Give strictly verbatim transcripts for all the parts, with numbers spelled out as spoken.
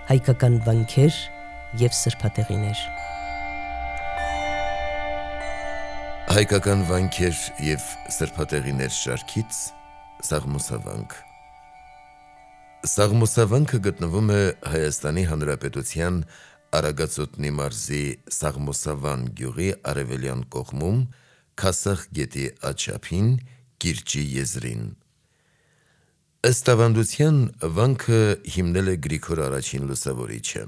հայկական վանքեր և սրբատեղիներ։ Հայկական վանքեր և սրբատեղիներ շարքից Սաղմոսավանք։ Սաղմոսավանքը գտնվում է Հայաստանի Հանրապետության Արագածոտնի մարզի Սաղմոսավան գյուղի արևելյան կողմում, Քասախ գետի աջափին, կիրճի եզրին։ Ըստ ավանդության, վանքը հիմնել է Գրիգոր առաջին լուսավորիչը։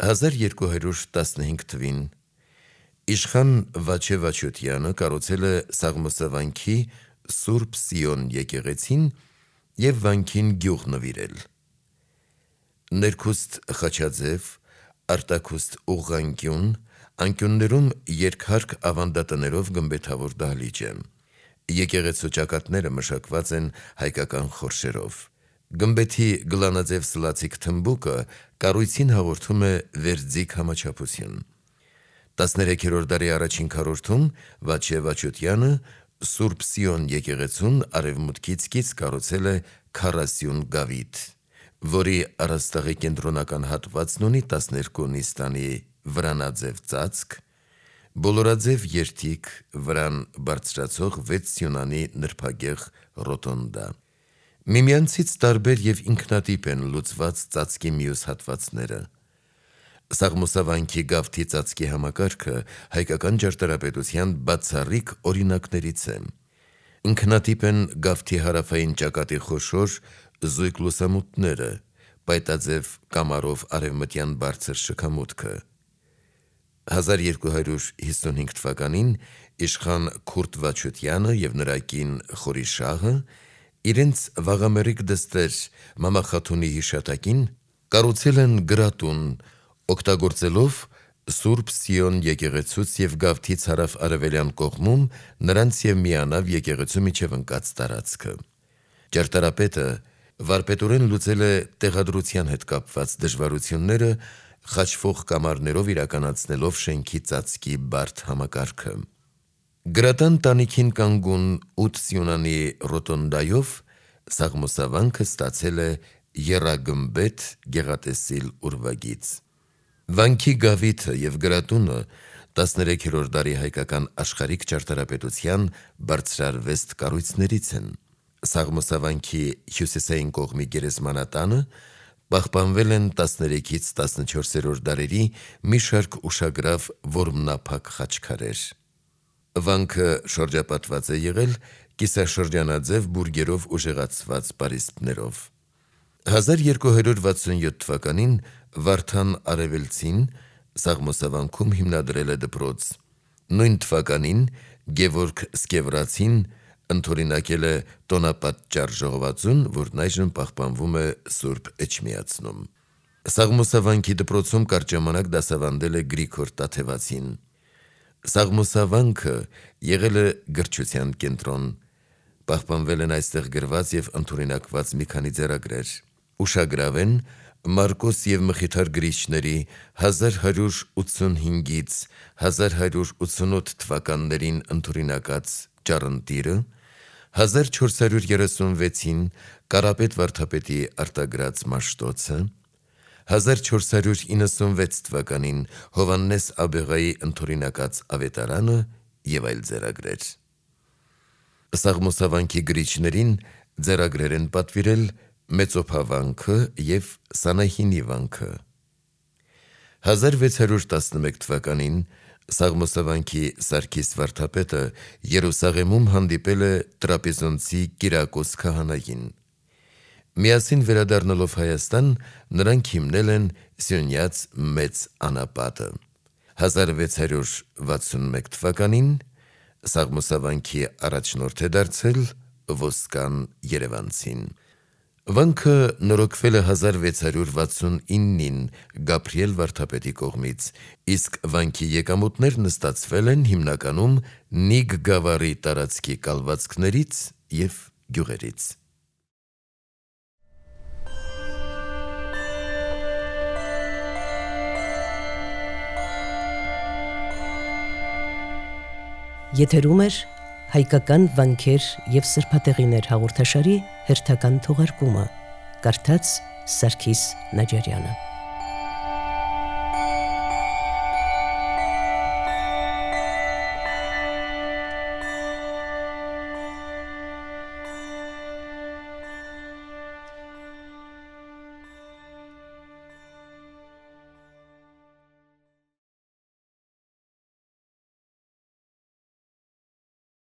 հազար երկու հարյուր տասնհինգ թվին իշխան Վաչե Վաչոտյանը կառուցել է Սաղմոսավանքի Սուրբ Սիոն եկեղեցին և վանքին գյուղ նվիրել։ Ներքուստ խաչաձև, արտաքուստ ուղղանկյուն, անկյուններում երկհարկ ավանդատներով գմբեթավոր դահլիճ է։ Եկեղեցու ճակատները մշակված են հայկական խորշերով։ Գմբեթի գլանաձև սլացիկ թմբուկը կառույցին հաղորդում է վերձիգ համաչափություն։ տասներեքերորդ դարի առաջին քառորդում Վաչե Վաչոտյանը Սուրբ Սիոն եկեղեցուն արևմուտքից կից կառուցել է քառասյուն գավիթ, որի առաստաղի կենտրոնական հատվածն ունի տասներկու նիստանի վրանաձև ծածկ, բոլորաձև երթիկ, վրան բարձրացող վեց սյունանի նրբագեղ ռոտոնդա։ Միմյանցից տարբեր և ինքնատիպ են լուծված ծածկի մյուս հատվածները։ Սաղմոսավանքի գավթի ծածկի համակարգը հայկական ճարտարապետության բացառիկ օրինակներից է։ Ինքնատիպ են գավթի հարավային ճակատի խոշոր զույգ լուսամուտները, պայտաձև կամարով արևմտյան բարձր շքամուտքը։ հազար երկու հարյուր հիսունհինգ թվականին իշխան Քուրդ Վաչոտյանը և նրա կին Խորիշաղը իրենց վաղամերիկ դստեր Մամա Խաթունի հիշատակին կառուցել են գրատուն, օգտագործելով Սուրբ Սիոն եկեղեցուց և գավթից հարավ-արևելյան կողմում նրանց և միանավ եկեղեցու միջև ընկած տարածքը։ Ճարտարապետը վարպետորեն լուծել է տեղադրության հետ կապված դժվարությունները, խաչվող կամարներով իրականացնելով շենքի ծածկի բարդ համակարգը։ Գրատան տանիքին կանգուն ութ սյունանի ռոտոնդայով Սաղմոսավանքը ստացել է եռագմբեթ գեղատեսիլ ուրվագիծ։ Վանքի գավիթը և գրատունը տասներեքերորդ դարի հայկական աշխարհիկ ճարտարապետության բարձրարվեստ կառույցներից են։ Սաղմոսավանքի հյուսիսային կողմի գերեզմանատանը պահպանվել են տասներեքից տասնչորսերորդ դարերի մի շարք ուշագրավ որմնափակ խաչքարեր։ Վանքը շրջապատված է եղել կիսաշրջանաձև բուրգերով ուժեղացված պարիսպներով։ հազար երկու հարյուր վաթսունյոթ թվականին Վարդան Արևելցին Սաղմոսավանքում հիմնադրել է դպրոց։ Նույն թվականին Գևորգ Սկևրացին ընդօրինակել է տոնապատճառ ժողովածուն, որն այժմ պահպանվում է Սուրբ Էջմիածնում։ Սաղմոսավանքի դպրոցում կարճ ժամանակ դասավանդել է Գրիգոր Տաթևացին։ Սաղմոսավանքը եղել է գրչության կենտրոն։ Պահպանվել են այստեղ գրված և ընդօրինակված մի քանի ձեռագրեր։ Ուշագրավ են Մարկոս և Մխիթար գրիչների հազար հարյուր ութսունհինգից հազար հարյուր ութսունութ թվականներին ընդօրինակած ճառընտիրը, հազար չորս հարյուր երեսունվեցին Կարապետ Վարդապետի արտագրած Մաշտոցը, հազար չորս հարյուր իննսունվեց թվականին Հովհաննես Աբեղայի ընդօրինակած Ավետարանը և այլ ձեռագրեր։ Սաղմոսավանքի գրիչներին ձեռագրեր են պատվիրել Մեծոփավանքը և Սանահինի վանքը։ հազար վեց հարյուր տասնմեկ թվականին Սաղմոսավանքի Սարգիս վարդապետը Երուսաղեմում հանդիպել է տրապեզոնցի Կիրակոս քահանային։ Միասին վերադառնալով Հայաստան, նրանք հիմնել են Սյունյաց Մեծ անապատը։ հազար վեց հարյուր վաթսունմեկ թվականին Սաղմոսավանքի առաջնորդ է դարձել Ոսկան Երևանցին։ Վանքը նորոգվել է հազար վեց հարյուր վաթսունինին Գաբրիել վարդապետի կողմից, իսկ վանքի եկամուտներն ստացվել են հիմնականում Նիգ գավառի տարածքի կալվածքներից և գյուղերից։ Եթերում էր հայկական վանքեր և սրբատեղիներ հաղորդաշարի հերթական թողարկումը, կարդաց Սարգիս Նաջարյանը։